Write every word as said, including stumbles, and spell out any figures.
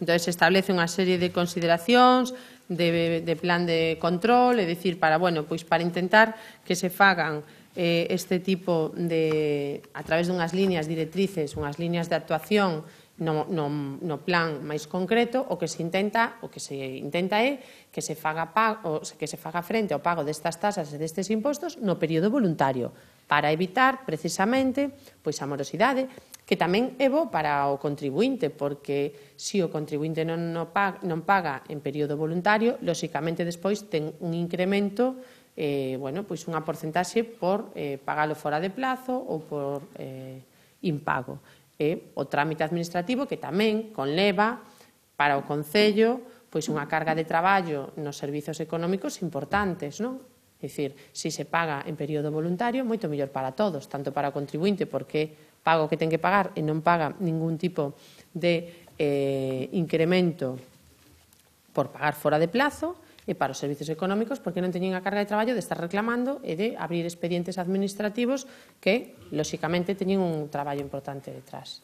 Entón, se establece unha serie de consideracións, de, de plan de control, é dicir, para, bueno, pois para intentar que se fagan eh, este tipo de, a través dunhas líneas directrices, unhas líneas de actuación no, no, no plan máis concreto, o que se intenta, o que se intenta é que se faga pago, que se faga frente ao pago destas tasas e destes impostos no período voluntario, para evitar precisamente pois a morosidade, que tamén é bo para o contribuinte, porque se o contribuinte non, non, paga, non paga en período voluntario, lóxicamente despois ten un incremento, eh, bueno, pois unha porcentaxe por eh, pagalo fora de plazo ou por eh, impago. E o trámite administrativo que tamén conleva para o Concello pois unha carga de traballo nos servizos económicos importantes, non? É dicir, se se paga en período voluntario, moito mellor para todos, tanto para o contribuinte, porque paga o que ten que pagar e non paga ningún tipo de eh, incremento por pagar fora de plazo, e para os servizos económicos, porque non teñen a carga de traballo de estar reclamando e de abrir expedientes administrativos que, lóxicamente, teñen un traballo importante detrás.